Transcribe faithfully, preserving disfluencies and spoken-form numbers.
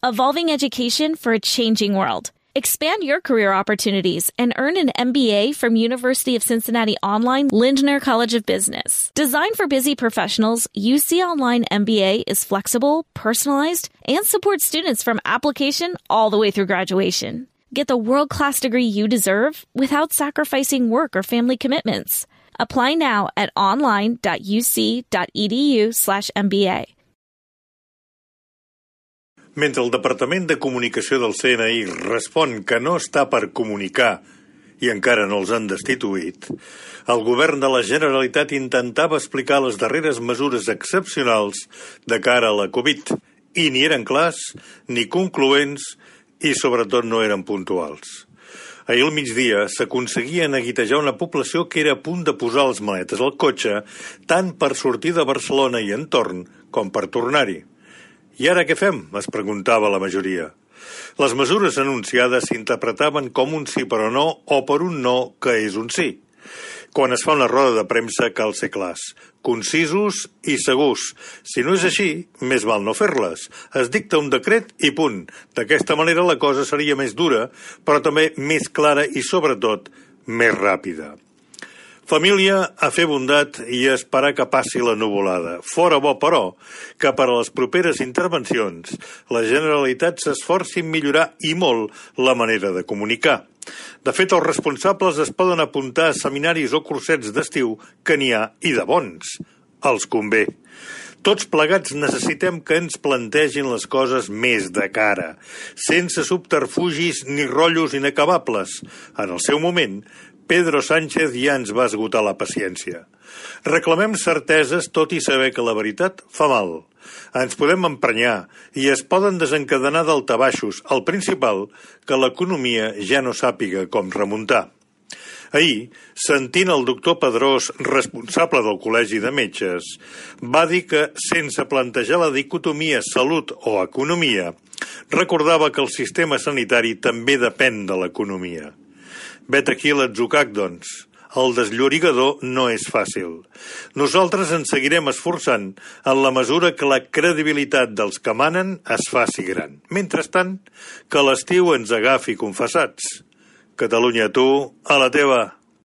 evolving education for a changing world. Expand your career opportunities and earn an M B A from University of Cincinnati Online Lindner College of Business. Designed for busy professionals, U C Online M B A is flexible, personalized, and supports students from application all the way through graduation. Get the world-class degree you deserve without sacrificing work or family commitments. Apply now at online.uc.edu slash MBA. Mentre el Departament de Comunicació del C N I respon que no està per comunicar i encara no els han destituït, el govern de la Generalitat intentava explicar les darreres mesures excepcionals de cara a la Covid i ni eren clars, ni concloents i sobretot no eren puntuals. Ahir al migdia s'aconseguia neguitejar una població que era a punt de posar les maletes al cotxe tant per sortir de Barcelona i entorn com per tornar-hi. I ara què fem? Es preguntava la majoria. Les mesures anunciades s'interpretaven com un sí però no o per un no que és un sí. Quan es fa una roda de premsa cal ser clars, concisos i segurs. Si no és així, més val no fer-les. Es dicta un decret i punt. D'aquesta manera la cosa seria més dura, però també més clara i, sobretot, més ràpida. Família, a fer bondat i a esperar que passi la nuvolada. Fora bo, però, que per a les properes intervencions la Generalitat s'esforci en millorar i molt la manera de comunicar. De fet, els responsables es poden apuntar a seminaris o cursets d'estiu que n'hi ha i de bons. Els convé. Tots plegats necessitem que ens plantegin les coses més de cara, sense subterfugis ni rotllos inacabables. En el seu moment, Pedro Sánchez ja ens va esgotar la paciència. Reclamem certeses tot i saber que la veritat fa mal. Ens podem emprenyar i es poden desencadenar daltabaixos, el principal, que l'economia ja no sàpiga com remuntar. Ahir, sentint el doctor Pedrós, responsable del Col·legi de Metges, va dir que, sense plantejar la dicotomia salut o economia, recordava que el sistema sanitari també depèn de l'economia. Vet aquí l'atzucac, doncs. El desllorigador no és fàcil. Nosaltres ens seguirem esforçant en la mesura que la credibilitat dels que manen es faci gran. Mentrestant, que l'estiu ens agafi confessats. Catalunya, tu, a la teva.